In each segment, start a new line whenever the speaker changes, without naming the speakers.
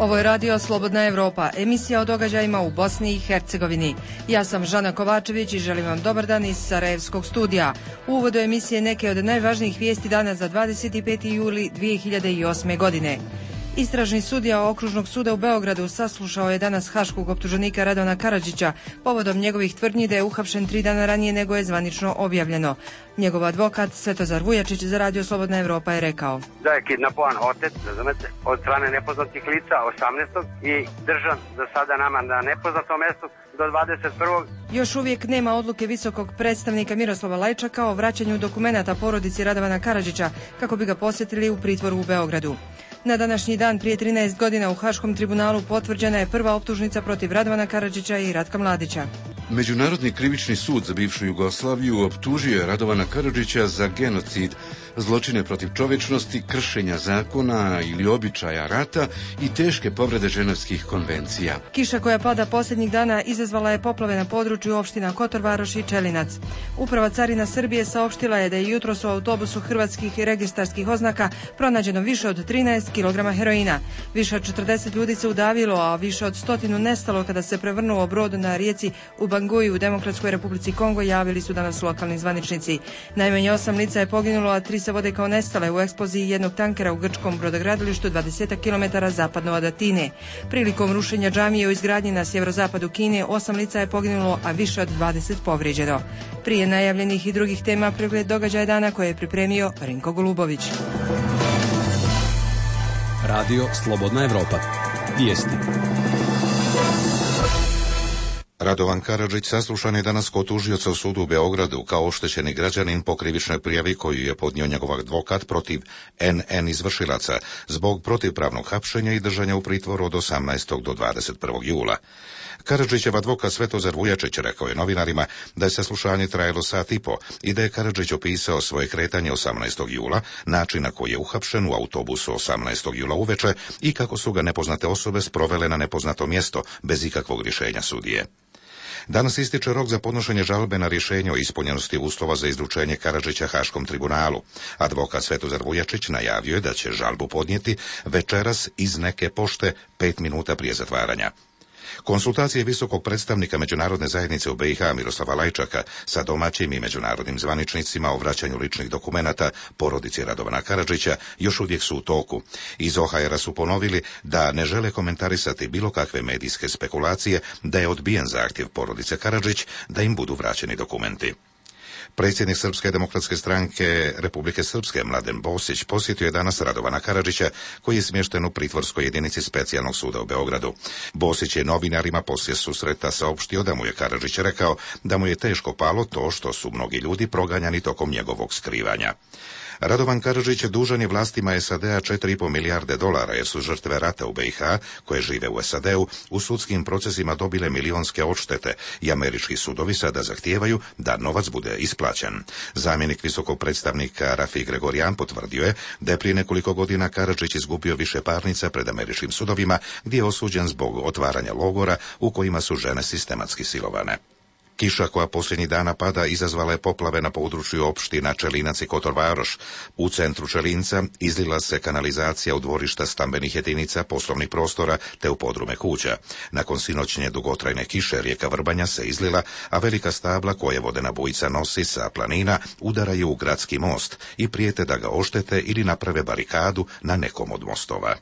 Ovo je radio Slobodna Evropa, emisija o događajima u Bosni i Hercegovini. Ja sam Žana Kovačević i želim vam dobar dan iz Sarajevskog studija. U uvodu emisije neke od najvažnijih vijesti dana za 25. juli 2008. godine. Istražni sudija Okružnog suda u Beogradu saslušao je danas haškog optuženika Radovana Karadžića povodom njegovih tvrdnji da je uhapšen 3 dana ranije nego je zvanično objavljeno. Njegov advokat Svetozar Vujačić za radio Slobodna Evropa je rekao
da je kidnapovan otec, razumete, od strane nepoznatih lica 18. i držan za sada nama na nepoznatom mjestu do 21.
Još uvijek nema odluke visokog predstavnika Miroslava Lajčaka o vraćanju dokumenata porodici Radovana Karadžića kako bi ga posjetili u pritvoru u Beogradu. Na današnji dan prije 13 godina u Haškom tribunalu potvrđena je prva optužnica protiv Radovana Karadžića i Ratka Mladića.
Međunarodni krivični sud za bivšu Jugoslaviju optužio je Radovana Karadžića za genocid, zločine protiv čovječnosti, kršenja zakona ili običaja rata i teške povrede ženevskih konvencija.
Kiša koja pada posljednjih dana izazvala je poplave na području opština Kotor Varoš i Čelinac. Uprava carina Srbije saopštila je da je jutros u autobusu hrvatskih i registarskih oznaka pronađeno više od 13 kg heroina. Više od 40 ljudi se udavilo, a više od 100 nestalo kada se prevrnuo brod na rijeci u Banguji u Demokratskoj Republici Kongo, javili su danas lokalni zvaničnici. Najmanje 8 lica je poginulo, a 3 se vode kao nestale u eksploziji jednog tankera u grčkom brodogradilištu 20 km zapadno od Atine. Prilikom rušenja džamije u izgradnji na sjeverozapadu Kine 8 lica je poginulo, a više od 20 povrijeđeno. Prije najavljenih i drugih tema pregled događaja dana koje je pripremio Rinko Golubović.
Radio Slobodna Evropa. Vijesti.
Radovan Karadžić saslušan je danas kod tužioca u sudu u Beogradu kao oštećeni građanin po krivičnoj prijavi koju je podnio njegov advokat protiv NN izvršilaca zbog protivpravnog hapšenja i držanja u pritvoru od 18. do 21. jula. Karadžićev advokat Svetozar Vujačić rekao je novinarima da je saslušanje trajalo sat i po i da je Karadžić opisao svoje kretanje 18. jula, način na koji je uhapšen u autobusu 18. jula uveče i kako su ga nepoznate osobe sprovele na nepoznato mjesto bez ikakvog rješenja sudije. Danas ističe rok za podnošenje žalbe na rješenje o ispunjenosti uslova za izručenje Karadžića Haškom tribunalu. Advokat Svetozar Vujačić najavio je da će žalbu podnijeti večeras iz neke pošte 5 minuta prije zatvaranja. Konsultacije visokog predstavnika međunarodne zajednice u BiH Miroslava Lajčaka sa domaćim i međunarodnim zvaničnicima o vraćanju ličnih dokumenata porodici Radovana Karadžića još uvijek su u toku. Iz OHR-a su ponovili da ne žele komentarisati bilo kakve medijske spekulacije da je odbijen zahtjev porodice Karadžić da im budu vraćeni dokumenti. Predsjednik Srpske demokratske stranke Republike Srpske Mladen Bosić posjetio je danas Radovana Karadžića koji je smješten u pritvorskoj jedinici specijalnog suda u Beogradu. Bosić je novinarima poslije susreta saopštio da mu je Karadžić rekao da mu je teško palo to što su mnogi ljudi proganjani tokom njegovog skrivanja. Radovan Karadžić dužan je vlastima SAD-a $4,5 milijarde jer su žrtve rata u BiH koje žive u SAD-u u sudskim procesima dobile milionske odštete i američki sudovi sada zahtijevaju da novac bude isplaćen. Zamjenik visokog predstavnika Rafi Gregorijan potvrdio je da je prije nekoliko godina Karadžić izgubio više parnica pred američkim sudovima gdje je osuđen zbog otvaranja logora u kojima su žene sistematski silovane. Kiša koja posljednjih dana pada izazvala je poplave na području opština Čelinac i Kotor Varoš. U centru Čelinca izlila se kanalizacija u dvorišta stambenih jedinica, poslovnih prostora te u podrume kuća. Nakon sinoćnje dugotrajne kiše rijeka Vrbanja se izlila, a velika stabla koje vodena bujica nosi sa planina udaraju u gradski most i prijete da ga oštete ili naprave barikadu na nekom od mostova.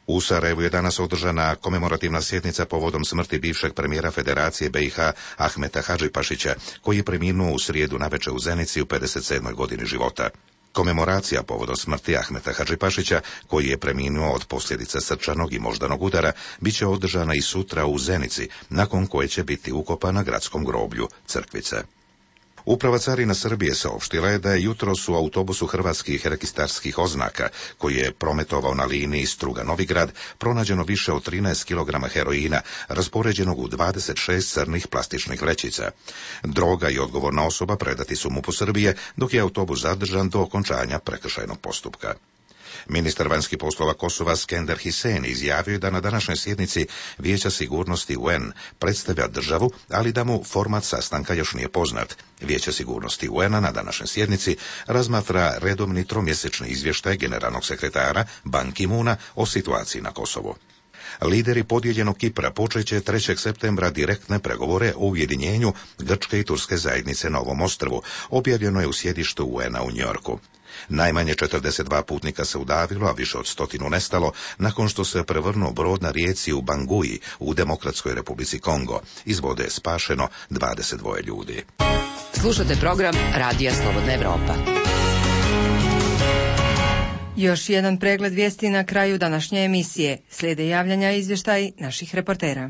U Sarajevu je danas održana komemorativna sjednica povodom smrti bivšeg premijera Federacije BiH Ahmeta Hadžipašića, koji je preminuo u srijedu navečer u Zenici u 57. godini života. Komemoracija povodom smrti Ahmeta Hadžipašića, koji je preminuo od posljedica srčanog i moždanog udara, bit će održana i sutra u Zenici, nakon koje će biti ukopana na gradskom groblju Crkvice. Uprava carina Srbije saopštila je da je jutros u autobusu hrvatskih registarskih oznaka, koji je prometovao na liniji Struga-Novigrad, pronađeno više od 13 kg heroina, raspoređenog u 26 crnih plastičnih vrećica. Droga i odgovorna osoba predati su MUP-u Srbije, dok je autobus zadržan do okončanja prekršajnog postupka. Ministar vanjskih poslova Kosova Skender Hisen izjavio je da na današnjoj sjednici Vijeća sigurnosti UN predstavlja državu, ali da mu format sastanka još nije poznat. Vijeće sigurnosti UN-a na današnjoj sjednici razmatra redovni tromjesečni izvještaj generalnog sekretara Ban Ki-moona o situaciji na Kosovu. Lideri podijeljenog Kipra počeće 3. septembra direktne pregovore o ujedinjenju Grčke i Turske zajednice na ovom ostrvu, objavljeno je u sjedištu UN-a u Njorku. Najmanje 42 putnika se udavilo, a više od 100 nestalo nakon što se prevrnuo brod na rijeci u Bangui u Demokratskoj Republici Kongo. Iz vode je spašeno 22 ljudi.
Slušate program Radija Slobodna Evropa.
Još jedan pregled vijesti na kraju današnje emisije. Slijede javljanja i izvještaj naših reportera.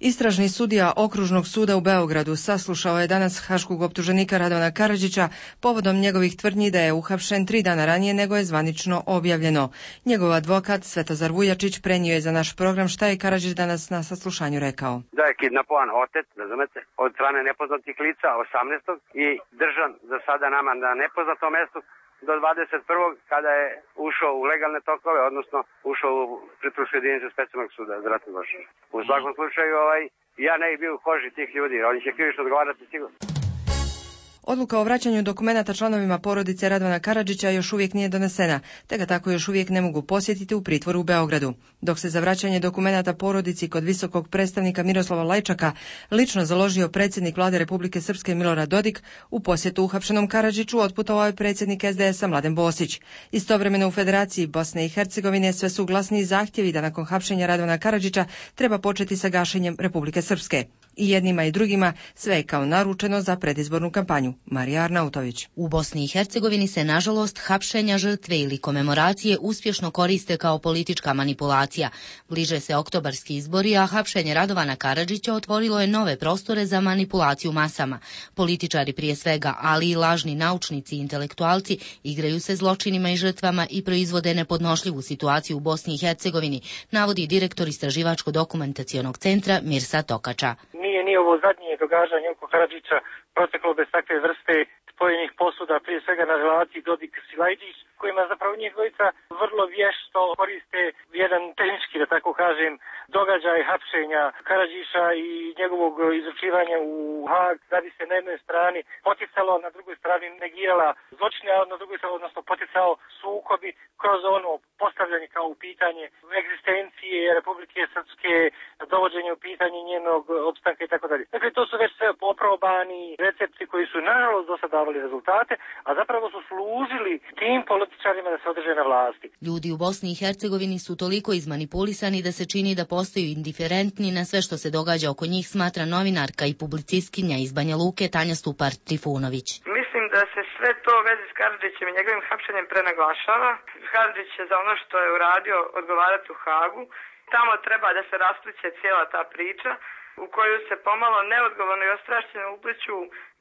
Istražni sudija Okružnog suda u Beogradu saslušao je danas haškog optuženika Radovana Karadžića povodom njegovih tvrdnji da je uhapšen 3 dana ranije nego je zvanično objavljeno. Njegov advokat Svetozar Vujačić prenio je za naš program šta je Karadžić danas na saslušanju rekao.
Da je kidnapovan otet, razumete, od strane nepoznatih lica 18. i držan za sada nama na nepoznatom mjestu do 21. kada je ušao u legalne tokove, odnosno ušao u pritvorsku jedinicu specijalnog suda za ratne zločine. U svakom slučaju, ja ne bih bio u koži tih ljudi, oni će krivično odgovarati sigurno.
Odluka o vraćanju dokumenata članovima porodice Radovana Karadžića još uvijek nije donesena, te ga tako još uvijek ne mogu posjetiti u pritvoru u Beogradu. Dok se za vraćanje dokumenata porodici kod visokog predstavnika Miroslava Lajčaka lično založio predsjednik Vlade Republike Srpske Milorad Dodik, u posjetu uhapšenom Karadžiću otputovao je predsjednik SDS-a Mladen Bosić. Istovremeno u Federaciji Bosne i Hercegovine sve su glasniji zahtjevi da nakon hapšenja Radovana Karadžića treba početi sa gašenjem Republike Srpske. I jednima i drugima sve je kao naručeno za predizbornu kampanju. Marija Arnautović.
U Bosni i Hercegovini se, nažalost, hapšenja žrtve ili komemoracije uspješno koriste kao politička manipulacija. Bliže se oktobarski izbori, a hapšenje Radovana Karadžića otvorilo je nove prostore za manipulaciju masama. Političari prije svega, ali i lažni naučnici i intelektualci igraju se zločinima i žrtvama i proizvode nepodnošljivu situaciju u Bosni i Hercegovini, navodi direktor Istraživačko-dokumentacionog centra Mirsa Tokača.
Nije ovo zadnje događanje oko Karadžića proteklo bez takve vrste spojenih posuda, prije svega na relaciji Dodik-Silajđić, kojima zapravo njih dvojica vrlo vješto koriste jedan tehnički, da tako kažem, događaj hapšenja Karadžića i njegovog izručivanja u Hag, da bi se na jednoj strani poticalo, na drugoj strani negirala zločine, a na drugoj strani, odnosno poticao sukobi kroz ono postavljanje kao u pitanje egzistencije Republike Srpske, dovođenje u pitanje njenog opstanka i tako dalje. Dakle, to su već sve poprobani recepti koji su nažalost do sada davali rezultate, a zapravo su služili tim političarima da se održe na vlasti.
Ljudi u Bosni i Hercegovini su toliko izmanipulisani da se čini da postaju indiferentni na sve što se događa oko njih, smatra novinarka i publicistkinja iz Banja Luke Tanja Stupar-Trifunović.
Mislim da se sve to u vezi s Karadžićem i njegovim hapšenjem prenaglašava. Karadžić će za ono što je uradio odgovarati u Hagu. Tamo treba da se raspliće cijela ta priča u koju se pomalo neodgovorno i ostrašćeno upliću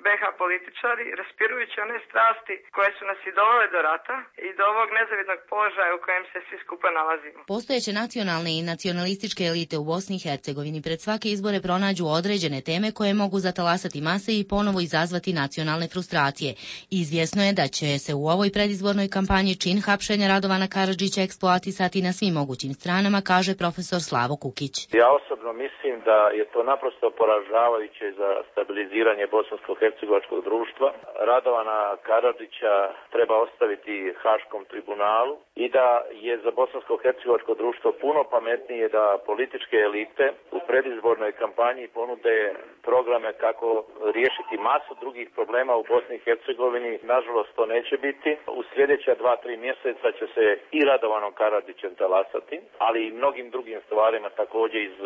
BH političari, raspirujući one strasti koje su nas i dovele do rata i do ovog nezavidnog položaja u kojem se svi skupa nalazimo.
Postojeće nacionalne i nacionalističke elite u Bosni i Hercegovini pred svake izbore pronađu određene teme koje mogu zatalasati mase i ponovo izazvati nacionalne frustracije. Izvjesno je da će se u ovoj predizbornoj kampanji čin hapšenja Radovana Karadžića eksploatisati na svim mogućim stranama, kaže profesor Slavo Kukić.
Ja osobno mislim da je to naprosto poražavajuće za stabiliziranje bosansko-hercegovačkog društva. Radovana Karadžića treba ostaviti Haškom tribunalu i da je za bosansko-hercegovačko društvo puno pametnije da političke elite u predizbornoj kampanji ponude programe kako riješiti masu drugih problema u Bosni i Hercegovini. Nažalost, to neće biti. U sljedeća 2-3 mjeseca će se i Radovanom Karadžićem talasati, ali i mnogim drugim stvarima također iz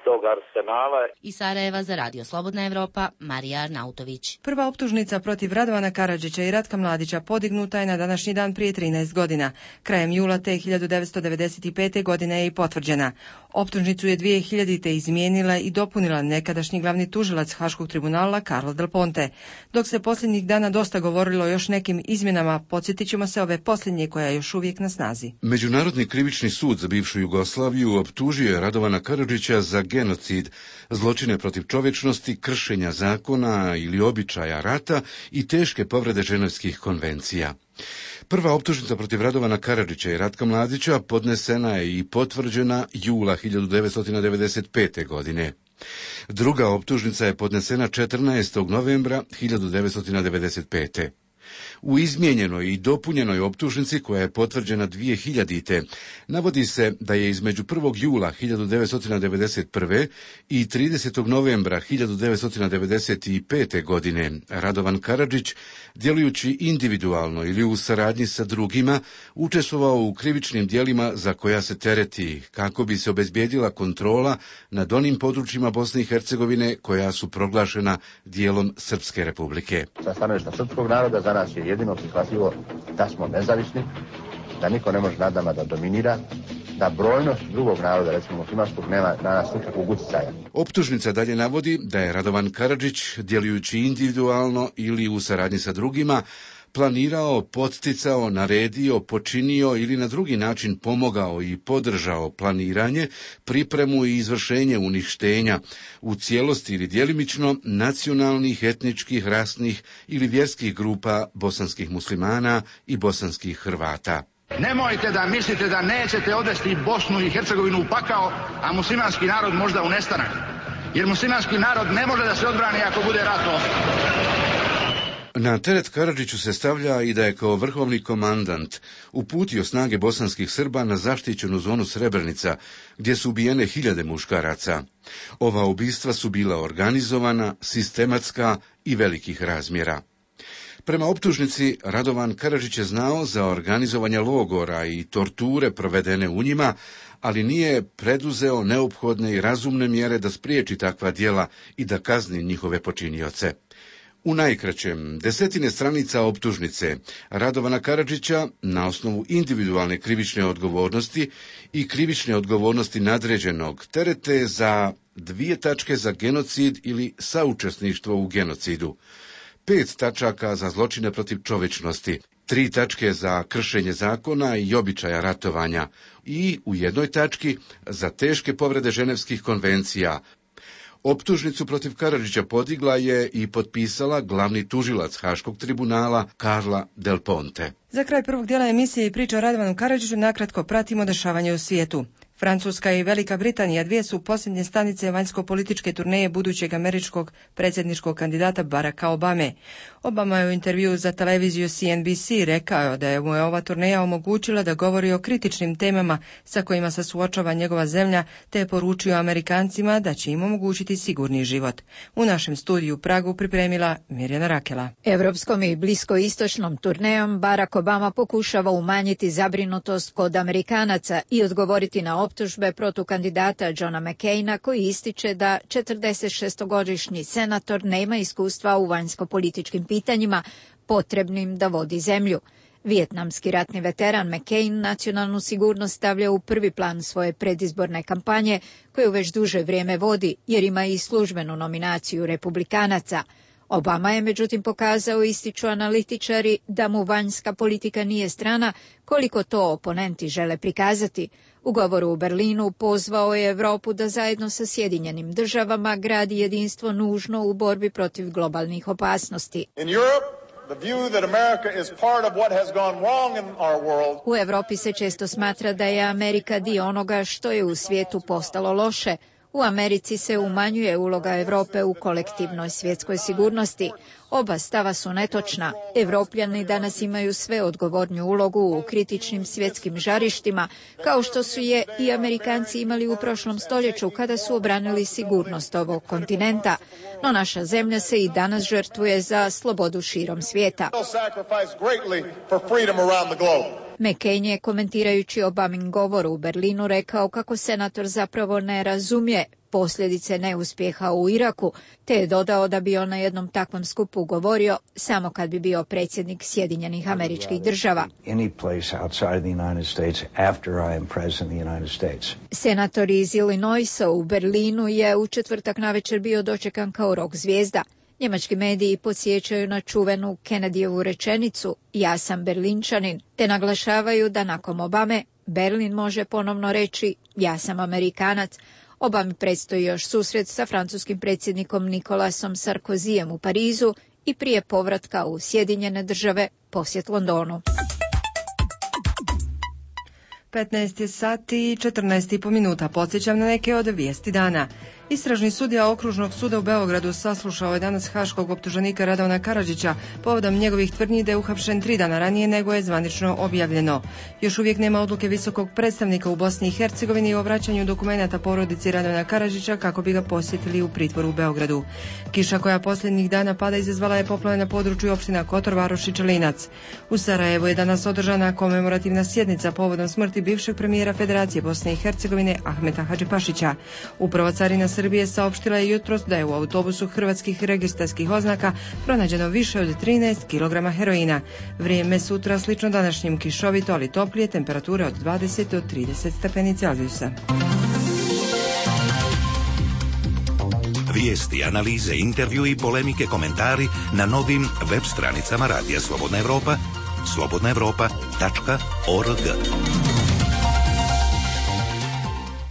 tog arsenala.
Iz Sarajeva za Radio Slobodna Evropa, Marija Arnautović.
Prva optužnica protiv Radovana Karadžića i Ratka Mladića podignuta je na današnji dan prije 13 godina. Krajem jula te 1995. godine je i potvrđena. Optužnicu je 2000. izmijenila i dopunila nekadašnji glavni tužilac Haškog tribunala Carlo Del Ponte. Dok se posljednjih dana dosta govorilo o još nekim izmjenama, podsjetit ćemo se ove posljednje koja je još uvijek na snazi.
Međunarodni krivični sud za bivšu Jugoslaviju optužio je Radovana Karadžića za genocid, zločine protiv čovječnosti, kršenja zakona ili običaja rata i teške povrede ženevskih konvencija. Prva optužnica protiv Radovana Karadžića i Ratka Mladića podnesena je i potvrđena jula 1995. godine. Druga optužnica je podnesena 14. novembra 1995. U izmijenjenoj i dopunjenoj optužnici, koja je potvrđena 2000. navodi se da je između 1. jula 1991. i 30. novembra 1995. godine Radovan Karadžić, djelujući individualno ili u saradnji sa drugima, učestvovao u krivičnim djelima za koja se tereti, kako bi se obezbijedila kontrola nad onim područjima Bosne i Hercegovine koja su proglašena dijelom Srpske republike.
Sa stanovišta srpskog naroda za nas je jedino prihvatljivo da smo nezavisni, da niko ne može nad nama da dominira, da brojnost drugog naroda, recimo muslimanskog, nema na nas nikakvog utjecaja.
Optužnica dalje navodi da je Radovan Karadžić, djelujući individualno ili u saradnji sa drugima, planirao, podsticao, naredio, počinio ili na drugi način pomogao i podržao planiranje, pripremu i izvršenje uništenja u cijelosti ili djelimično nacionalnih, etničkih, rasnih ili vjerskih grupa bosanskih muslimana i bosanskih Hrvata.
Nemojte da mislite da nećete odvesti Bosnu i Hercegovinu u pakao, a muslimanski narod možda u nestanak. Jer muslimanski narod ne može da se odbrani ako bude ratovao.
Na teret Karadžiću se stavlja i da je kao vrhovni komandant uputio snage bosanskih Srba na zaštićenu zonu Srebrenica, gdje su ubijene hiljade muškaraca. Ova ubistva su bila organizovana, sistematska i velikih razmjera. Prema optužnici, Radovan Karadžić je znao za organizovanje logora i torture provedene u njima, ali nije preduzeo neophodne i razumne mjere da spriječi takva djela i da kazni njihove počinioce. U najkraćem, desetine stranica optužnice Radovana Karadžića na osnovu individualne krivične odgovornosti i krivične odgovornosti nadređenog terete za 2 tačke za genocid ili saučesništvo u genocidu, 5 tačaka za zločine protiv čovječnosti, 3 tačke za kršenje zakona i običaja ratovanja i u 1 tački za teške povrede ženevskih konvencija. Optužnicu protiv Karadžića podigla je i potpisala glavni tužilac Haškog tribunala Carla Del Ponte.
Za kraj prvog dijela emisije i priča o Radovanu Karadžiću nakratko pratimo dešavanje u svijetu. Francuska i Velika Britanija 2 su posljednje stanice vanjsko-političke turneje budućeg američkog predsjedničkog kandidata Baracka Obame. Obama je u intervjuu za televiziju CNBC rekao da je mu ova turneja omogućila da govori o kritičnim temama sa kojima se suočava njegova zemlja, te je poručio Amerikancima da će im omogućiti sigurni život. U našem studiju u Pragu pripremila Mirjana Rakela.
Evropskom i bliskoistočnom turnejom Barack Obama pokušava umanjiti zabrinutost kod Amerikanaca i odgovoriti na optužbe protiv kandidata Johna McCaina, koji ističe da 46-godišnji senator nema iskustva u vanjsko-političkim pitanjima potrebnim da vodi zemlju. Vijetnamski ratni veteran McCain nacionalnu sigurnost stavlja u prvi plan svoje predizborne kampanje, koju već duže vrijeme vodi, jer ima i službenu nominaciju republikanaca. Obama je međutim pokazao, ističu analitičari, da mu vanjska politika nije strana, koliko to oponenti žele prikazati. U govoru u Berlinu pozvao je Europu da zajedno sa Sjedinjenim državama gradi jedinstvo nužno u borbi protiv globalnih opasnosti. U Europi se često smatra da je Amerika dio onoga što je u svijetu postalo loše. U Americi se umanjuje uloga Europe u kolektivnoj svjetskoj sigurnosti. Oba stava su netočna. Evropljani danas imaju sve odgovorniju ulogu u kritičnim svjetskim žarištima, kao što su je i Amerikanci imali u prošlom stoljeću kada su obranili sigurnost ovog kontinenta. No naša zemlja se i danas žrtvuje za slobodu širom svijeta. McCain je, komentirajući Obamin govor u Berlinu, rekao kako senator zapravo ne razumije posljedice neuspjeha u Iraku, te je dodao da bi on na jednom takvom skupu govorio samo kad bi bio predsjednik Sjedinjenih Američkih Država. Senator iz Illinoisa u Berlinu je u četvrtak navečer bio dočekan kao rock zvijezda. Njemački mediji podsjećaju na čuvenu Kennedyjevu rečenicu "Ja sam Berlinčanin", te naglašavaju da nakon Obame Berlin može ponovno reći "Ja sam Amerikanac". Obami predstoji još susret sa francuskim predsjednikom Nikolasom Sarkozyjem u Parizu i prije povratka u Sjedinjene Države posjet Londonu.
15 sati i 14,5 minuta. Podsjećam na neke od vijesti dana. Istražni sudija Okružnog suda u Beogradu saslušao je danas haškog optuženika Radovana Karadžića povodom njegovih tvrdnji da je uhapšen 3 dana ranije nego je zvanično objavljeno. Još uvijek nema odluke visokog predstavnika u Bosni i Hercegovini o vraćanju dokumenata porodici Radovana Karadžića kako bi ga posjetili u pritvoru u Beogradu. Kiša koja posljednjih dana pada izazvala je poplave na području opština Kotor, Varoš i Čelinac. U Sarajevu je danas održana komemorativna sjednica povodom smrti bivšeg premijera Federacije Bosne i Hercegovine Ahmeta Hadžipašića. Uprava carina Srbije saopštila je jutros da je u autobusu hrvatskih registarskih oznaka pronađeno više od 13 kg heroina. Vrijeme sutra slično današnjim, kišovito ali toplije, temperature od 20 do 30 stepeni Celzijusa.
Vijesti, analize, intervju i polemike, komentari na novim web stranicama Radija Slobodna Evropa, slobodnaevropa.org.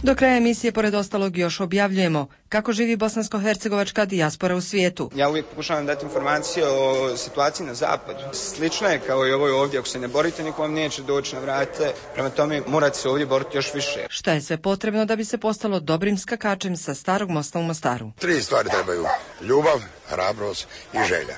Do kraja emisije, pored ostalog, još objavljujemo kako živi bosansko-hercegovačka dijaspora u svijetu.
Ja uvijek pokušavam dati informacije o situaciji na zapadu. Slično je kao i ovoj ovdje, ako se ne borite, niko vam neće doći na vrate, prema tome morate se ovdje boriti još više.
Šta je sve potrebno da bi se postalo dobrim skakačem sa Starog mosta u Mostaru?
3 stvari trebaju: ljubav, hrabrost i želja.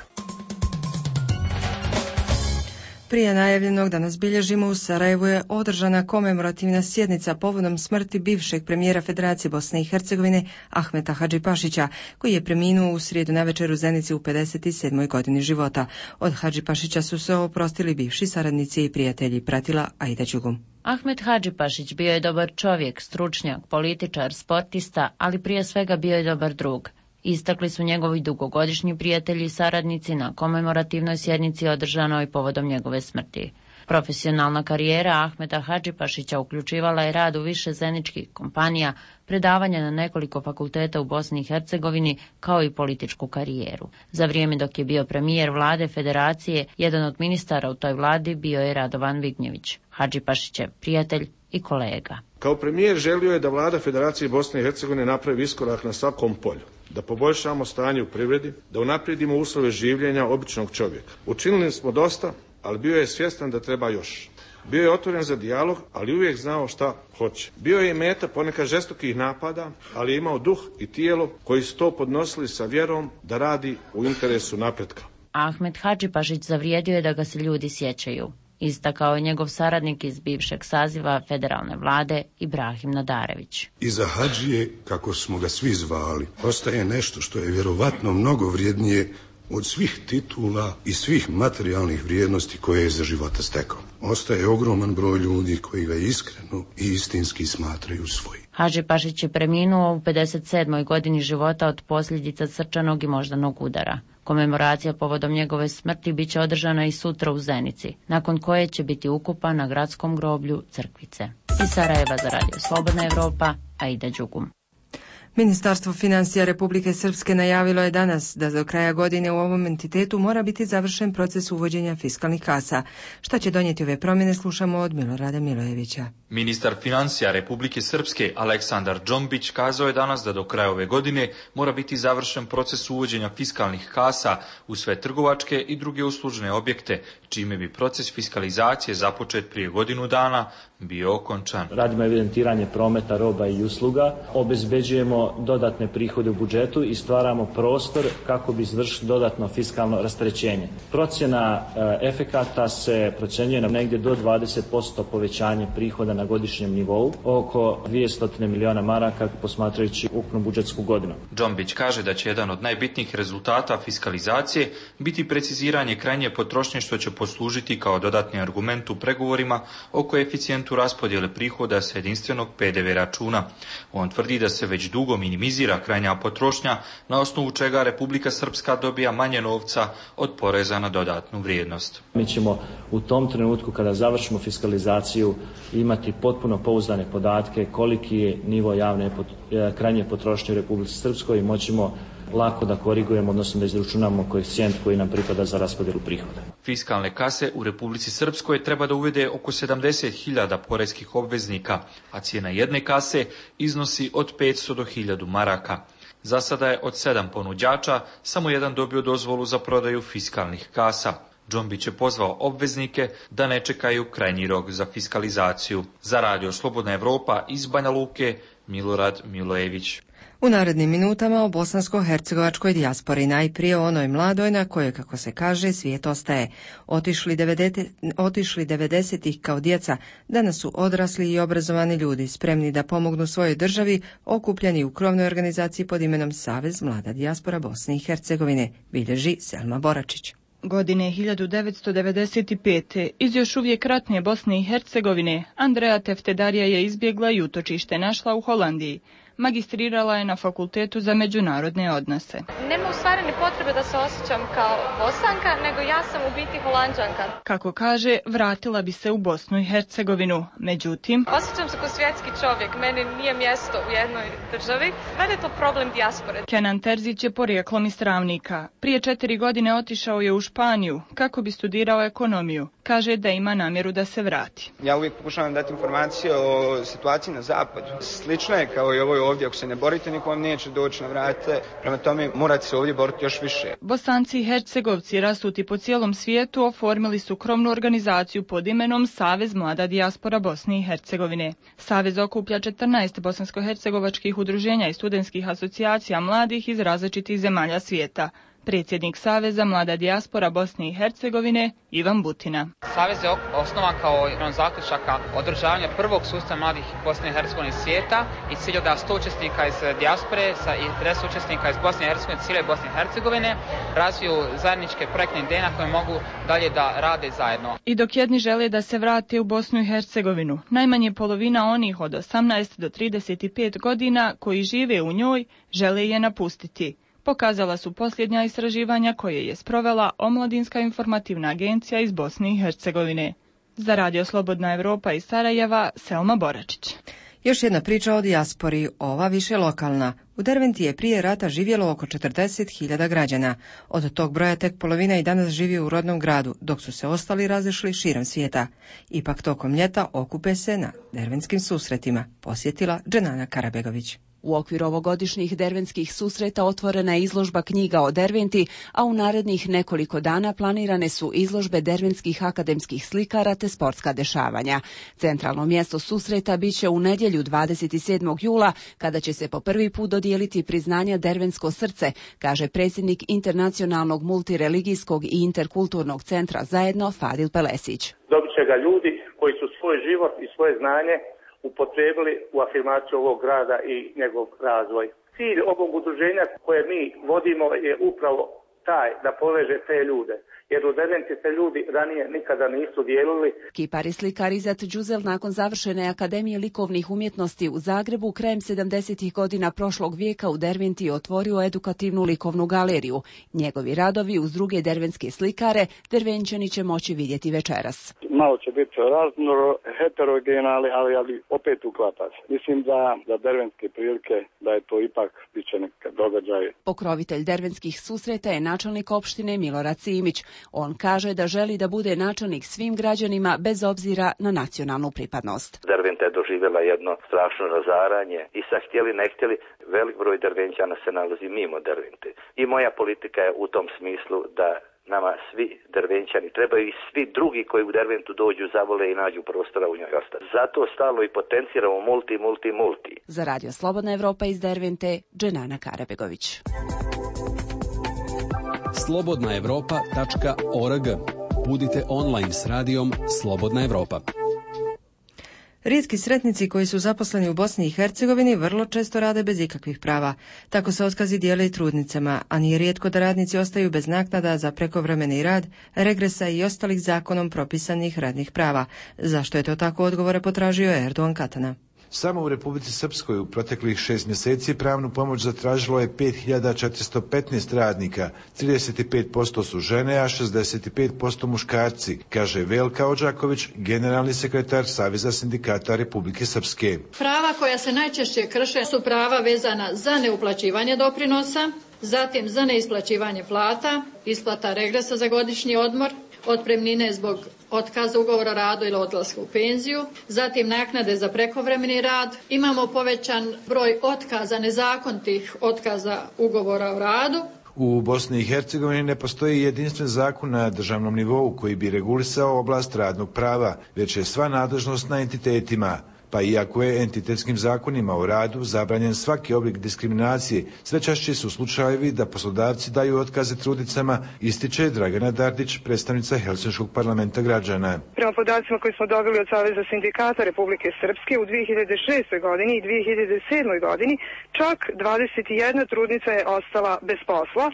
Prije najavljenog danas bilježimo u Sarajevu je održana komemorativna sjednica povodom smrti bivšeg premijera Federacije Bosne i Hercegovine Ahmeta Hadžipašića, koji je preminuo u srijedu navečer u Zenici u 57. godini života. Od Hadžipašića su se oprostili bivši saradnici i prijatelji, pratila Aida Đugum.
Ahmet Hadžipašić bio je dobar čovjek, stručnjak, političar, sportista, ali prije svega bio je dobar drug. Istakli su njegovi dugogodišnji prijatelji i saradnici na komemorativnoj sjednici održanoj povodom njegove smrti. Profesionalna karijera Ahmeta Hadžipašića uključivala je rad u više zeničkih kompanija, predavanja na nekoliko fakulteta u Bosni i Hercegovini, kao i političku karijeru. Za vrijeme dok je bio premijer vlade Federacije, jedan od ministara u toj vladi bio je Radovan Vignjević, Hadžipašićev prijatelj i kolega.
Kao premijer želio je da vlada Federacije Bosne i Hercegovine napravi iskorak na svakom polju, da poboljšamo stanje u privredi, da unaprijedimo uslove življenja običnog čovjeka. Učinili smo dosta, ali bio je svjestan da treba još. Bio je otvoren za dijalog, ali uvijek znao šta hoće. Bio je i meta ponekad žestokih napada, ali je imao duh i tijelo koji su to podnosili sa vjerom da radi u interesu napretka.
Ahmet Hadžipašić zavrijedio je da ga se ljudi sjećaju. Istakao je njegov saradnik iz bivšeg saziva federalne vlade Ibrahim Nadarević.
Iza Hadžije, kako smo ga svi zvali, ostaje nešto što je vjerovatno mnogo vrijednije od svih titula i svih materijalnih vrijednosti koje je za života stekao. Ostaje ogroman broj ljudi koji ga iskreno i istinski smatraju svojim.
Hadžipašić je preminuo u 57. godini života od posljedica srčanog i moždanog udara. Komemoracija povodom njegove smrti bit će održana i sutra u Zenici, nakon koje će biti ukopan na gradskom groblju Crkvice. Iz Sarajeva za Radio Slobodna Evropa, Aida Đugum.
Ministarstvo financija Republike Srpske najavilo je danas da do kraja godine u ovom entitetu mora biti završen proces uvođenja fiskalnih kasa. Šta će donijeti ove promjene, slušamo od Milorada Milojevića.
Ministar financija Republike Srpske Aleksandar Džombić kazao je danas da do kraja ove godine mora biti završen proces uvođenja fiskalnih kasa u sve trgovačke i druge uslužne objekte, čime bi proces fiskalizacije započet prije godinu dana bio okončan.
Radimo evidentiranje prometa roba i usluga, obezbeđujemo dodatne prihode u budžetu i stvaramo prostor kako bi izvršili dodatno fiskalno rasterećenje. Procjena efekata se procjenjuje na negdje do 20% povećanje prihoda na godišnjem nivou, oko 200 miliona maraka posmatrajući ukupnu budžetsku godinu.
Džombić kaže da će jedan od najbitnijih rezultata fiskalizacije biti preciziranje krajnje potrošnje, što će poslužiti kao dodatni argument u pregovorima o koeficijentu raspodjele prihoda sa jedinstvenog PDV računa. On tvrdi da se već dugo minimizira krajnja potrošnja, na osnovu čega Republika Srpska dobija manje novca od poreza na dodatnu vrijednost.
Mi ćemo u tom trenutku kada završimo fiskalizaciju imati potpuno pouzdane podatke koliki je nivo javne krajnje potrošnje u Republici Srpskoj i moćemo lako da korigujemo, odnosno da izračunamo koeficijent koji nam pripada za raspodjelu prihoda.
Fiskalne kase u Republici Srpskoj treba da uvede oko 70.000 poreskih obveznika, a cijena jedne kase iznosi od 500 do 1000 maraka. Za sada je od 7 ponuđača samo jedan dobio dozvolu za prodaju fiskalnih kasa. Džombić je pozvao obveznike da ne čekaju krajnji rok za fiskalizaciju. Za Radio Slobodna Evropa iz Banja Luke, Milorad Milojević.
U narednim minutama o bosansko-hercegovačkoj dijaspori, najprije o onoj mladoj na kojoj, kako se kaže, svijet ostaje. Otišli 90-ih kao djeca, danas su odrasli i obrazovani ljudi, spremni da pomognu svojoj državi, okupljeni u krovnoj organizaciji pod imenom Savez mlada dijaspora Bosne i Hercegovine, bilježi Selma Boračić.
Godine 1995. iz još uvijek ratne Bosne i Hercegovine Andrea Teftedarija je izbjegla i utočište našla u Holandiji. Magistrirala je na Fakultetu za međunarodne odnose.
Nema u stvari ni potrebe da se osjećam kao Bosanka, nego ja sam u biti Holanđanka.
Kako kaže, vratila bi se u Bosnu i Hercegovinu. Međutim,
osjećam se kao svjetski čovjek, meni nije mjesto u jednoj državi. Meni je to problem dijaspore.
Kenan Terzić je porijeklom iz Travnika. Prije 4 godine otišao je u Španiju kako bi studirao ekonomiju. Kaže da ima namjeru da se vrati.
Ja uvijek pokušavam dati informacije o situaciji na zapadu. Slično je kao i ovoj ovdje, ako se ne borite, niko vam neće doći na vrate. Prema tome morate se ovdje boriti još više.
Bosanci i Hercegovci rasuti po cijelom svijetu oformili su krovnu organizaciju pod imenom Savez mlada dijaspora Bosne i Hercegovine. Savez okuplja 14 bosansko-hercegovačkih udruženja i studentskih asocijacija mladih iz različitih zemalja svijeta. Predsjednik Saveza mlada dijaspora Bosne i Hercegovine Ivan Butina.
Savez je osnovan kao jedan zaključaka održavanja prvog sustava mladih Bosne i Hercegovine svijeta i cilj da 100 učesnika iz dijaspore i 50 učesnika iz Bosne i Hercegovine, cijele Bosne i Hercegovine razviju zajedničke projektne ideje na koje mogu dalje da rade zajedno.
I dok jedni žele da se vrate u Bosnu i Hercegovinu, najmanje polovina onih od 18 do 35 godina koji žive u njoj žele je napustiti. Pokazala su posljednja istraživanja koje je sprovela Omladinska informativna agencija iz Bosne i Hercegovine. Za Radio Slobodna Evropa iz Sarajeva, Selma Boračić.
Još jedna priča o dijaspori, ova više lokalna. U Derventi je prije rata živjelo oko 40.000 građana. Od tog broja tek polovina i danas živi u rodnom gradu, dok su se ostali razišli širom svijeta. Ipak tokom ljeta okupe se na derventskim susretima, posjetila Dženana Karabegović.
U okviru ovogodišnjih derventskih susreta otvorena je izložba knjiga o Derventi, a u narednih nekoliko dana planirane su izložbe derventskih akademskih slikara te sportska dešavanja. Centralno mjesto susreta biće u nedjelju 27. jula, kada će se po prvi put dodijeliti priznanja Derventsko srce, kaže predsjednik Internacionalnog multireligijskog i interkulturnog centra Zajedno Fadil Pelesić.
Dobit će ga ljudi koji su svoj život i svoje znanje upotrijebili u afirmaciju ovog grada i njegov razvoj. Cilj ovog udruženja koje mi vodimo je upravo taj da poveže te ljude, jer u Derventi se ljudi ranije nikada nisu dijelili.
Kipar i slikar Izat Đuzel nakon završene Akademije likovnih umjetnosti u Zagrebu krajem 70. godina prošlog vijeka u Derventi otvorio edukativnu likovnu galeriju. Njegovi radovi uz druge derventske slikare Dervenčani će moći vidjeti večeras.
Malo će biti raznoro, heterogeno, ali opet uklapa se. Mislim da derventske prilike, da je to ipak biće nekakav događaj.
Pokrovitelj derventskih susreta je načelnik opštine Milorad Simić. On kaže da želi da bude načelnik svim građanima bez obzira na nacionalnu pripadnost.
Derventa je doživjela jedno strašno razaranje i sad htjeli ne htjeli, velik broj Dervenčana se nalazi mimo Dervente. I moja politika je u tom smislu da nama svi Dervenčani trebaju i svi drugi koji u Derventu dođu, zavole i nađu prostora u njoj ostati. Zato stalo i potenciramo multi.
Za Radio Slobodna Evropa iz Dervente, Dženana Karabegović.
slobodnaevropa.org. Budite online s radijom Slobodna Evropa.
Rijetki sretnici koji su zaposleni u Bosni i Hercegovini vrlo često rade bez ikakvih prava. Tako se otkazi dijele i trudnicama, a nije rijetko da radnici ostaju bez naknada za prekovremeni rad, regresa i ostalih zakonom propisanih radnih prava. Zašto je to tako, odgovore potražio Erdogan Katana.
Samo u Republici Srpskoj u proteklih 6 mjeseci pravnu pomoć zatražilo je 5415 radnika, 35% su žene, a 65% muškarci, kaže Velka Odžaković, generalni sekretar Saveza sindikata Republike Srpske.
Prava koja se najčešće krše su prava vezana za neuplaćivanje doprinosa, zatim za neisplaćivanje plata, isplata regresa za godišnji odmor, otpremnine zbog otkaza ugovora o radu ili odlaska u penziju, zatim naknade za prekovremeni rad. Imamo povećan broj otkaza, nezakonitih otkaza ugovora o radu.
U Bosni i Hercegovini ne postoji jedinstven zakon na državnom nivou koji bi regulisao oblast radnog prava, već je sva nadležnost na entitetima. Pa iako je entitetskim zakonima o radu zabranjen svaki oblik diskriminacije, sve češće su slučajevi da poslodavci daju otkaze trudnicama, ističe Dragana Dardić, predstavnica Helsinškog parlamenta građana.
Prema podacima koji smo dobili od Saveza sindikata Republike Srpske, u 2006. godini i 2007. godini čak 21 trudnica je ostala bez posla,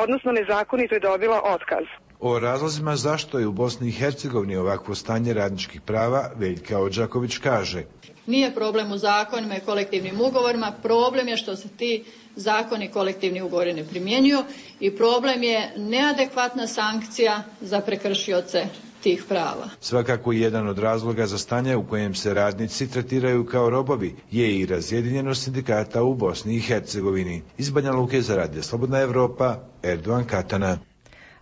odnosno nezakonito je dobila otkaz.
O razlozima zašto je u Bosni i Hercegovini ovakvo stanje radničkih prava Veljka Odžaković kaže:
Nije problem u zakonima i kolektivnim ugovorima, problem je što se ti zakoni i kolektivni ugovori ne primjenjuju i problem je neadekvatna sankcija za prekršioce tih prava.
Svakako jedan od razloga za stanje u kojem se radnici tretiraju kao robovi je i razjedinjenost sindikata u Bosni i Hercegovini. Iz Banja Luke za Radio Slobodna Evropa, Erdogan Katana.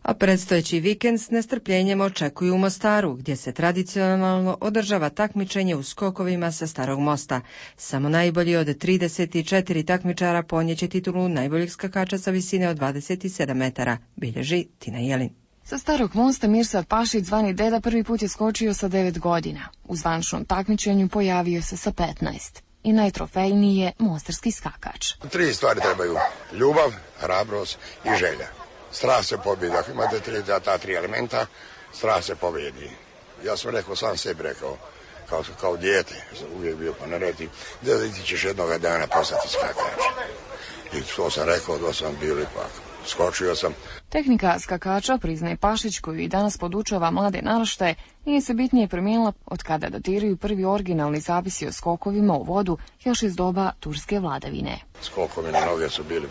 A predstojeći vikend s nestrpljenjem očekuju u Mostaru, gdje se tradicionalno održava takmičenje u skokovima sa Starog mosta. Samo najbolji od 34 takmičara ponjeće titulu najboljeg skakača sa visine od 27 metara, bilježi Tina Jelin.
Sa Starog mosta Mirsad Pašić, zvani Deda, prvi put je skočio sa 9 godina. U zvančnom takmičenju pojavio se sa 15. I najtrofejniji je mostarski skakač.
3 stvari trebaju: ljubav, hrabrost i želja. Strast se pobjedi. Ako imate ta 3 elementa, strast se pobjedi. Ja sam rekao, sam sebi rekao, kao dijete, uvijek bio pa naredi, da ti ćeš jednoga dana postati skakač. I to sam rekao, da sam bio ipak. Skočio sam.
Tehnika skakača, priznaje Pašić, koju i danas podučava mlade naraštaje, nije se bitnije promijenila od kada datiraju prvi originalni zapisi o skokovima u vodu još iz doba turske vladavine.
Skokovi na noge su bili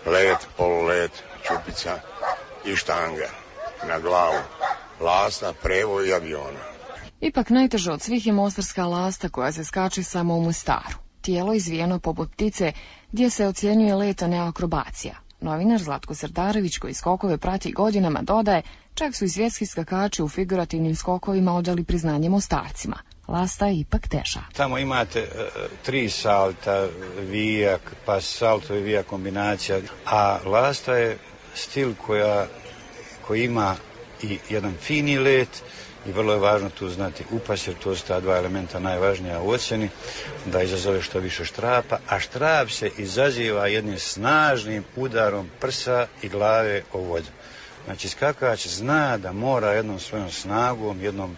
let, polulet, čupica i štanga na glavu, lasta, prevoj i aviona.
Ipak najteža od svih je mostarska lasta koja se skače samo u Mostaru. Tijelo izvijeno poput ptice gdje se ocjenjuje let, a ne akrobacija. Novinar Zlatko Srdarević, koji skokove prati godinama, dodaje, čak su i svjetski skakači u figurativnim skokovima odali priznanje Mostarcima. Lasta je ipak teža.
Tamo imate 3 salta, vijak, pa salto i vijak kombinacija, a lasta je stil koji ima i jedan fini let i vrlo je važno tu znati upas, jer to su ta 2 elementa najvažnija u ocjeni, da izazove što više štrapa, a štrap se izaziva jednim snažnim udarom prsa i glave o vodu. Znači skakač zna da mora jednom svojom snagom, jednom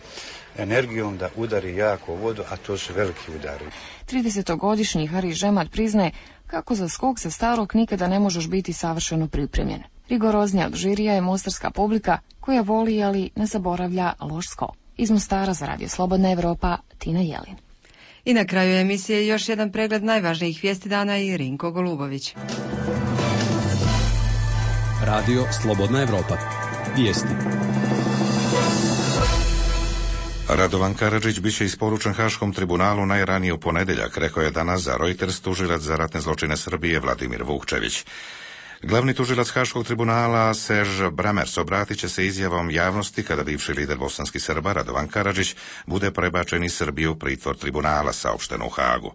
energijom da udari jako u vodu, a to su veliki udari.
30-godišnji Hari Žemat priznaje kako za skok sa Starog nikada ne možeš biti savršeno pripremljen. Rigoroznija od žirija je mostarska publika koja voli, ali ne zaboravlja loš skok. Iz Mostara za Radio Slobodna Evropa, Tina Jelin.
I na kraju emisije još jedan pregled najvažnijih vijesti dana i Rinko Golubović.
Radio Slobodna Evropa. Vijesti.
Radovan Karadžić biće isporučen Haškom tribunalu najranije u ponedjeljak, rekao je danas za Reuters tužilac za ratne zločine Srbije Vladimir Vukčević. Glavni tužilac Haškog tribunala Serž Bramers obratit će se izjavom javnosti kada bivši lider bosanskih Srba Radovan Karadžić bude prebačen iz Srbije u pritvor tribunala, saopšteno u Hagu.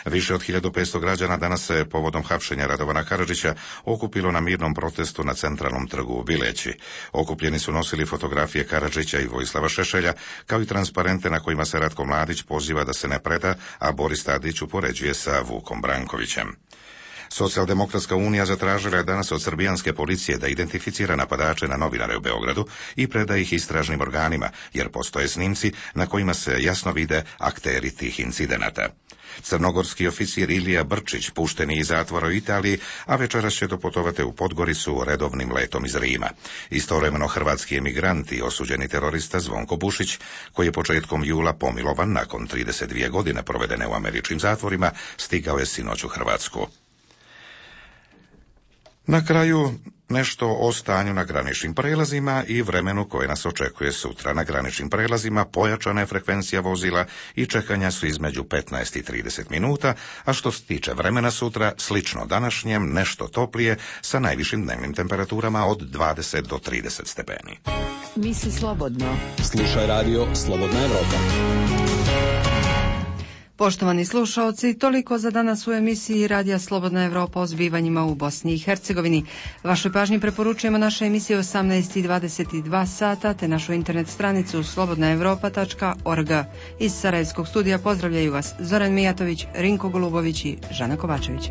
Više od 1500 građana danas se povodom hapšenja Radovana Karadžića okupilo na mirnom protestu na centralnom trgu u Bileći. Okupljeni su nosili fotografije Karadžića i Vojislava Šešelja, kao i transparente na kojima se Ratko Mladić poziva da se ne preda, a Boris Tadić upoređuje sa Vukom Brankovićem. Socijaldemokratska unija zatražila je danas od srbijanske policije da identificira napadače na novinare u Beogradu i preda ih istražnim organima, jer postoje snimci na kojima se jasno vide akteri tih incidenata. Crnogorski oficir Ilija Brčić pušten je iz zatvora u Italiji, a večeras će doputovati u Podgoricu redovnim letom iz Rima. Istovremeno hrvatski emigrant i osuđeni terorista Zvonko Bušić, koji je početkom jula pomilovan nakon 32 godine provedene u američkim zatvorima, stigao je sinoć u Hrvatsku. Na kraju nešto o stanju na graničnim prelazima i vremenu koje nas očekuje sutra. Na graničnim prelazima pojačana je frekvencija vozila i čekanja su između 15 i 30 minuta, a što se tiče vremena sutra, slično današnjem, nešto toplije, sa najvišim dnevnim temperaturama od 20 do 30 stepeni.
Misli slobodno.
Slušaj Radio Slobodna Evropa.
Poštovani slušaoci, toliko za danas u emisiji Radija Slobodna Evropa o zbivanjima u Bosni i Hercegovini. Vašoj pažnji preporučujemo naše emisije 18:22 sata te našu internet stranicu slobodnaevropa.org. Iz Sarajevskog studija pozdravljaju vas Zoran Mijatović, Rinko Golubović i Žana Kovačević.